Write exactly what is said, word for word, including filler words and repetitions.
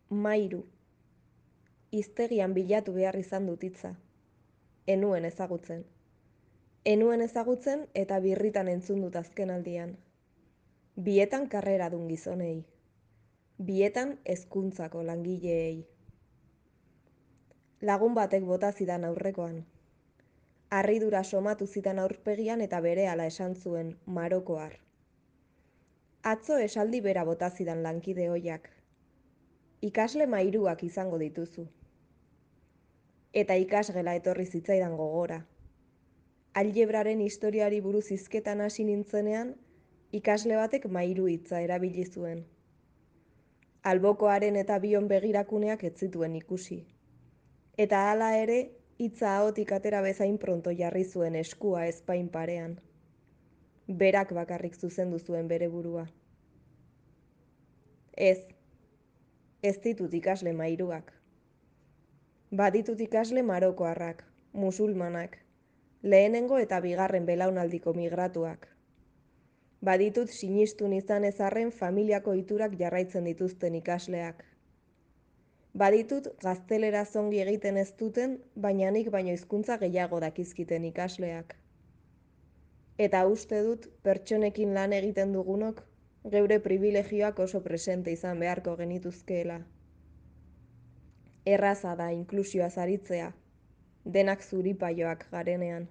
Mairu. Hiztegian bilatu behar izan dut hitza. Enuen ezagutzen. Enuen ezagutzen eta birritan entzun dut azkenaldian. Bietan karrera dun gizonei. Bietan hezkuntzako langileei. Lagun batek bota zidan aurrekoan. Harridura somatu zidan aurpegian eta berehala esan zuen, marokoar. Atzo esaldi bera bota zidan lankide hoiak. Ikasle mairuak izango dituzu. Eta ikasgela etorri zitzaidan gogora. Aljebraren historiari buruz hizketan hasi nintzenean, ikasle batek mairu hitza erabili zuen. Albokoaren eta bion begirakuneak ez zituen ikusi. Eta hala ere, hitza ahotik atera bezain pronto jarri zuen eskua ezpain parean. Berak bakarrik zuzendu zuen bere burua. Ez, ez ditut ikasle mairuak. Baditut ikasle marokoarrak, musulmanak, lehenengo eta bigarren belaunaldiko migratuak. Baditut sinistun izan ezarren familiako iturak jarraitzen dituzten ikasleak. Baditut gaztelera zongi egiten ez duten, baina nik baino hizkuntza gehiago dakizkiten ikasleak. Eta uste dut pertsonekin lan egiten dugunok, geure privilegioak oso presente izan beharko genituzkeela. Erraza da inklusioaz aritzea, denak zuripaioak garenean.